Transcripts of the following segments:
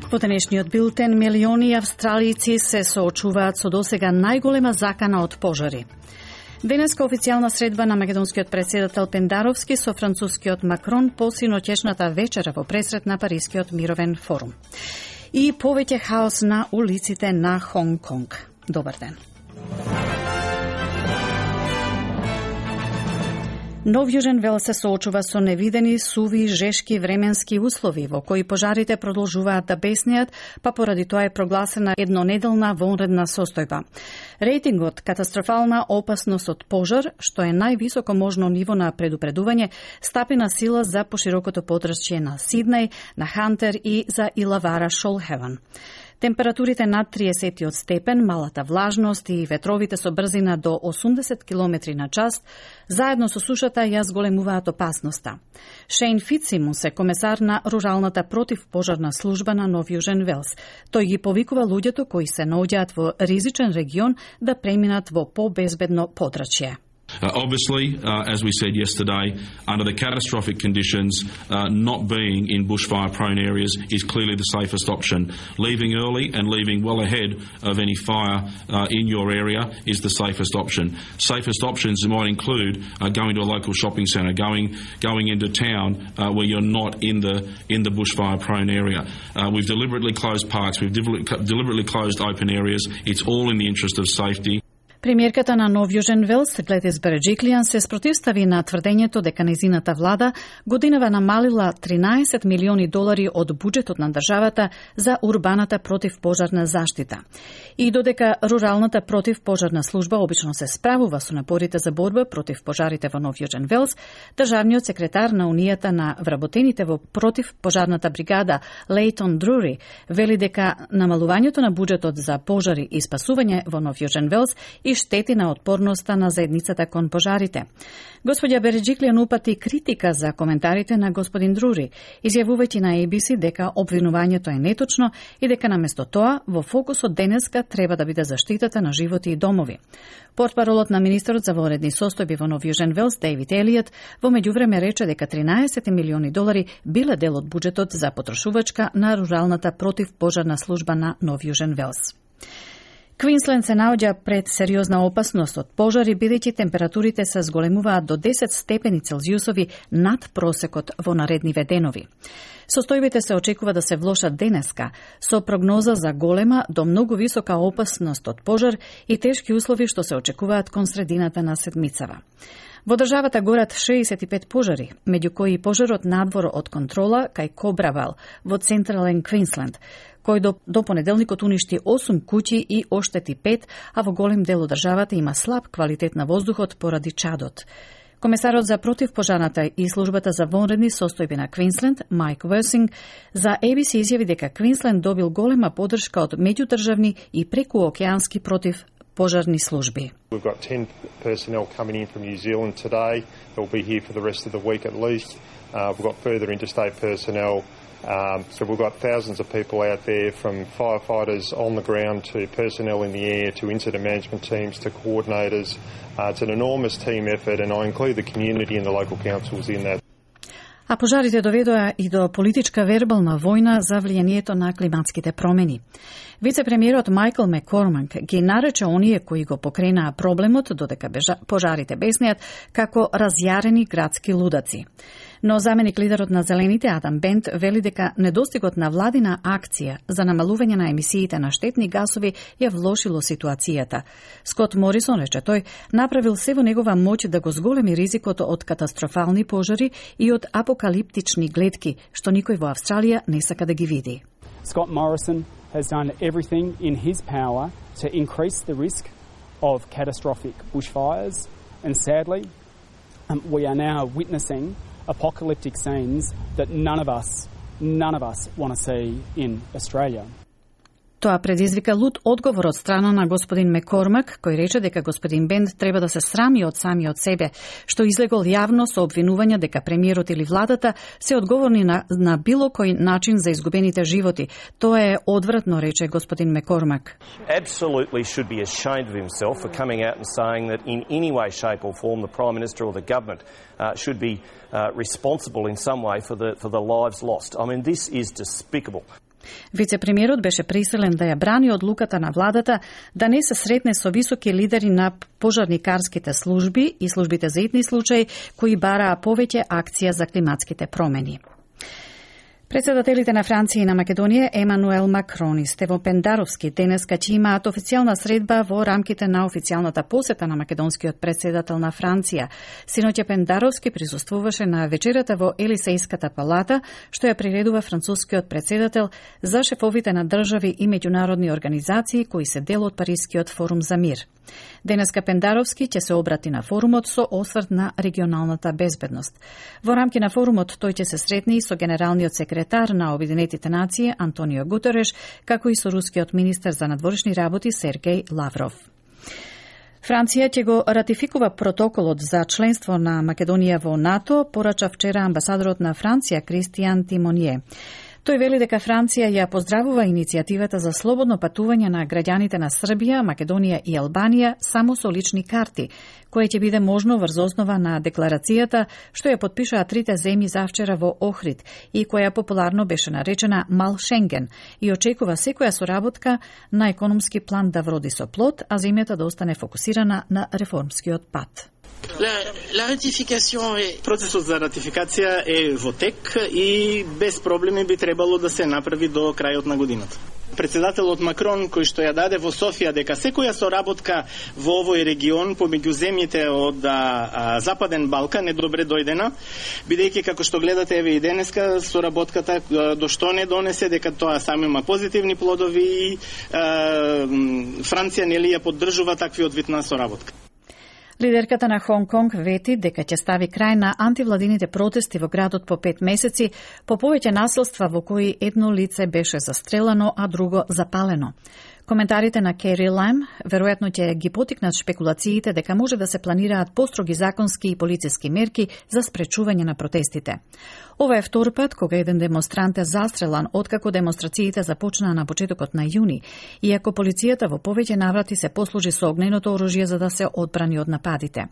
Во денешниот билтен, милиони австралијци се соочуваат со досега најголема закана од пожари. Денеска официјална средба на македонскиот претседател Пендаровски со францускиот Макрон по синоќешната вечера во пресрет на Парискиот мировен форум. И повеќе хаос на улиците на Хонг Конг. Добар ден. Нов Јужен Велс се соочува со невидени, суви, жешки временски услови во кои пожарите продолжуваат да беснеат, па поради тоа е прогласена еднонеделна вонредна состојба. Рейтингот катастрофална опасност од пожар, што е највисоко можно ниво на предупредување, стапи на сила за поширокото подрачје на Сиднеј, на Хантер и за Илавара Шолхеван. Температурите над 30 степен, малата влажност и ветровите со брзина до 80 км на час, заедно со сушата ја зголемуваат опасноста. Шейн Фитсимунс е комесар на руралната противпожарна служба на Нов Јужен Велс. Тој ги повикува луѓето кои се наоѓаат во ризичен регион да преминат во побезбедно подрачје. Obviously, as we said yesterday, under the catastrophic conditions, not being in bushfire-prone areas is clearly the safest option. Leaving early and leaving well ahead of any fire in your area is the safest option. Safest options might include going to a local shopping centre, going into town where you're not in the bushfire-prone area. We've deliberately closed parks. We've deliberately closed open areas. It's all in the interest of safety. Премиерката на Нов Јужен Велс, Гледис Береджиклијан, се спротивстави на тврдењето дека нејзината влада годинава намалила $13 милиони од буџетот на државата за урбаната противпожарна заштита. И додека руралната противпожарна служба обично се справува со напорите за борба против пожарите во Нов Јужен Велс, државниот секретар на Унијата на вработените во противпожарната бригада Лейтон Друри вели дека намалувањето на буџетот за пожари и спасување во Нов Јужен Велс и штети на отпорноста на заедницата кон пожарите. Господја Береджиклијан упати критика за коментарите на господин Друри, изјавувајќи на ABC дека обвинувањето е неточно и дека наместо тоа во фокусот денеска треба да биде заштитата на животи и домови. Портпаролот на министерот за вонредни состојби во Нов Јужен Велс, Дейвид Елиот, во меѓувреме рече дека $13 милиони биле дел од буџетот за потрошувачка на руралната противпожарна служба на Нов Јужен Велс. Квинсленд се наоѓа пред сериозна опасност од пожари, бидејќи температурите се зголемуваат до 10 степени Целзиусови над просекот во наредниве денови. Состојбите се очекува да се влошат денеска, со прогноза за голема до многу висока опасност од пожар и тешки услови што се очекуваат кон средината на седмицава. Во државата горат 65 пожари, меѓу кои пожарот надвор од контрола кај Кобравал во Централен Квинсленд, кој до понеделникот уништи 8 куќи и оштети 5, а во голем дел од државата има слаб квалитет на воздухот поради чадот. Комесарот за противпожарната и службата за вонредни состојби на Квинсленд, Майк Версинг, за ABC изјави дека Квинсленд добил голема поддршка од меѓудржавни и прекуокеански противпожарни служби. We've got 10 personnel coming in from New Zealand today. They'll be here for the rest of the week at least. We've got further interstate personnel. So we've got thousands of people out there, from firefighters on the ground to personnel in the air to incident management teams to coordinators. It's an enormous team effort, and I include the community and the local councils in that. А пожарите доведоа и до политичка вербална војна за влијанието на климатските промени. Вице-премиерот Майкл Маккормак ги нарече оние кои го покренаа проблемот додека пожарите беснеат како разјарени градски лудаци. Но заменик лидерот на Зелените Адам Бент вели дека недостигот на владина акција за намалување на емисиите на штетни гасови ја влошило ситуацијата. Скот Морисон, рече тој, направил се во негова моќ да го зголеми ризикот од катастрофални пожари и од апокалиптични гледки, што никој во Австралија не сака да ги види. Scott Morrison has done everything in his power to increase the risk of catastrophic bushfires, and sadly, we are now witnessing apocalyptic scenes that none of us want to see in Australia. Тоа предизвика лут одговор од страна на господин Маккормак, кој рече дека господин Бент треба да се срами од самиот себе, што излегол јавно со обвинувања дека премиерот или владата се одговорни на било кој начин за изгубените животи. Тоа е одвратно, рече господин Маккормак. Absolutely should be ashamed of himself for coming out and saying that in any way, shape or form the Prime Minister or the government should be responsible in some way for the lives lost. I mean, this is despicable. Вице-премиерот беше присилен да ја брани одлуката на владата да не се сретне со високи лидери на пожарникарските служби и службите за итни случаи кои бараа повеќе акција за климатските промени. Председателите на Франција и на Македонија Емануел Макрон и Стево Пендаровски денеска ќе имаат официјална средба во рамките на официјалната посета на македонскиот председател на Франција. Синоќа Пендаровски присуствуваше на вечерата во Елисејската палата, што ја приредува францускиот председател за шефовите на држави и меѓународни организации кои се дел од Парискиот форум за мир. Денеска Пендаровски ќе се обрати на форумот со осврт на регионалната безбедност. Во рамки на форумот тој ќе се сретне и со генералниот секретар на Обединетите нации Антонио Гутереш, како и со рускиот министер за надворешни работи Сергеј Лавров. Франција ќе го ратификува протоколот за членство на Македонија во НАТО, порача вчера амбасадорот на Франција Кристијан Тимонје. Тој вели дека Франција ја поздравува иницијативата за слободно патување на граѓаните на Србија, Македонија и Албанија само со лични карти, кое ќе биде можно врз основа на декларацијата што ја подпишаа трите земји завчера во Охрид и која популарно беше наречена Мал Шенген и очекува секоја соработка на економски план да вроди со плод, а земјата да остане фокусирана на реформскиот пат. Процесот за ратификација е во тек и без проблеми би требало да се направи до крајот на годината. Председателот Макрон, кој што ја даде во Софија дека секоја соработка во овој регион помеѓу земјите од Западен Балкан е добре дојдена, бидејќи како што гледате еве и денеска соработката до што не донесе дека тоа само има позитивни плодови и Франција нели ја поддржува таквиот вид на соработка. Лидерката на Хонг Конг вети дека ќе стави крај на антивладините протести во градот по 5 месеци по повеќе насилства во кои едно лице беше застрелано, а друго запалено. Коментарите на Кери Лам веројатно ќе ги потикнат шпекулациите дека може да се планираат построги законски и полициски мерки за спречување на протестите. Ова е втор пат кога еден демонстрант е застрелан откако демонстрациите започнаа на почетокот на јуни, иако полицијата во повеќе наврати се послужи со огненото оружје за да се одбрани од нападите.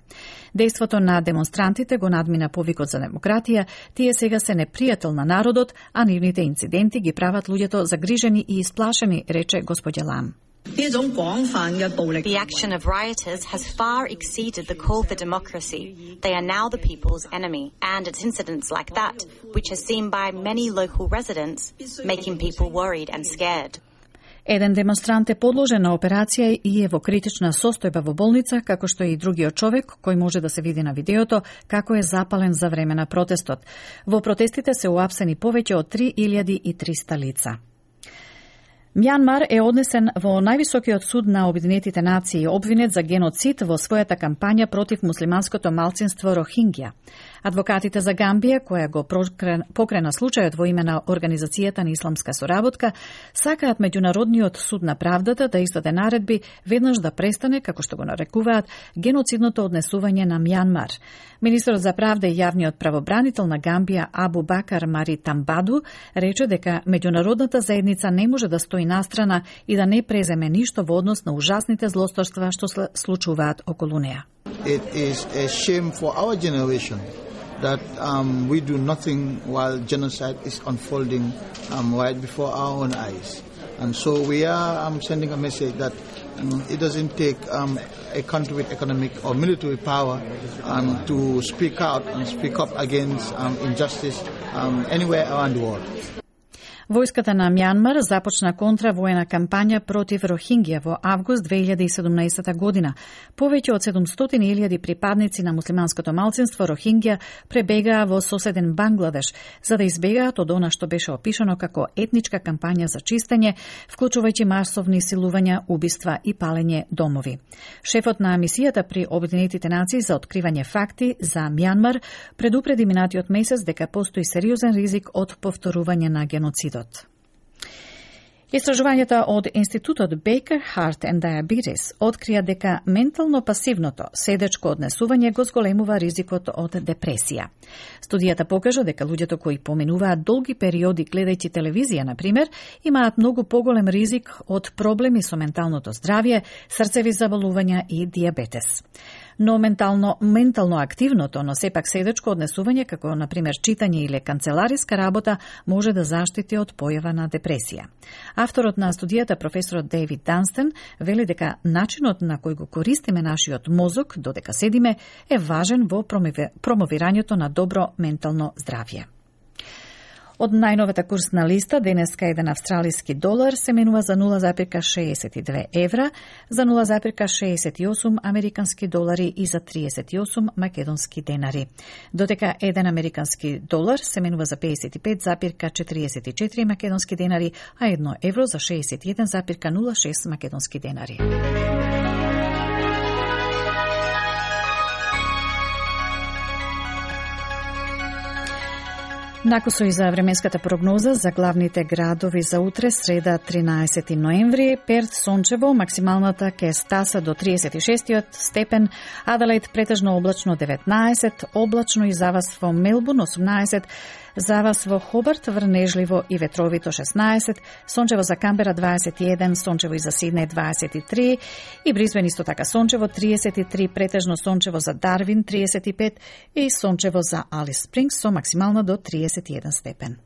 Дејството на демонстрантите го надмина повикот за демократија, тие сега се непријател на народот, а нивните инциденти ги прават луѓето загрижени и исплашени, рече господја Лам. The action of rioters has far exceeded the call for democracy. They are now the people's enemy, and it's incidents like that, which are seen by many local residents, making people worried and scared. Еден демонстрант е подложен на операција и е во критична состојба во болница, како што и другиот човек, кој може да се види на видеото, како е запален за време на протестот. Во протестите се уапсени повеќе од 3300 лица. Мјанмар е однесен во највисокиот суд на Обединетите нации обвинет за геноцид во својата кампања против муслиманското малцинство Рохингја. Адвокатите за Гамбија, која го покрена случајот во име на Организацијата на исламска соработка, сакаат Меѓународниот суд на правдата да издаде наредби веднаш да престане, како што го нарекуваат, геноцидното однесување на Мјанмар. Министерот за правда и јавниот правобранител на Гамбија Абу Бакар Мари Тамбаду рече дека меѓународната заедница не може да стои настрана и да не преземе ништо во однос на ужасните злосторства што се случуваат околу неа. It is a shame for our generation that we do nothing while genocide is unfolding right before our own eyes. And so we are sending a message that it doesn't take a country with economic or military power to speak out and speak up against injustice anywhere around the world. Војската на Мјанмар започна контравоена кампања против Рохингја во август 2017 година. Повеќе од 700.000 припадници на муслиманското малцинство Рохингја пребегаа во соседен Бангладеш, за да избегаат од она што беше опишано како етничка кампања за чистење, вклучувајќи масовни силувања, убиства и палење домови. Шефот на мисијата при Обединетите нации за откривање факти за Мјанмар предупреди минатиот месец дека постои сериозен ризик од повторување на геноцидот. Истражувањата од Институтот Baker Heart and Diabetes открија дека ментално пасивното седечко однесување го зголемува ризикот од депресија. Студијата покажа дека луѓето кои поминуваат долги периоди гледајќи телевизија, например, имаат многу поголем ризик од проблеми со менталното здравје, срцеви заболувања и дијабетес. но ментално активното, но сепак седечко однесување, како например читање или канцелариска работа, може да заштити од појава на депресија. Авторот на студијата, професорот Дейвид Данстен, вели дека начинот на кој го користиме нашиот мозок додека седиме е важен во промовирањето на добро ментално здравје. Од најновата курсна листа, денеска еден австралиски долар се менува за 0,62 евра, за 0,68 американски долари и за 38 македонски денари. Додека еден американски долар се менува за 55,44 македонски денари, а 1 евро за 61,06 македонски денари. Накусо и за временската прогноза за главните градови за утре, среда 13 ноември. Перт сончево, максималната ке стаса до 36 степен, Аделаид претежно облачно 19, облачно и завас во Мелбурн 18, завас во Хобарт врнежливо и ветровито 16, сончево за Камбера 21, сончево и за Сиднеј 23 и Брисбен исто така сончево 33, претежно сончево за Дарвин 35 и сончево за Алис Спрингс со максимално до 31 степен.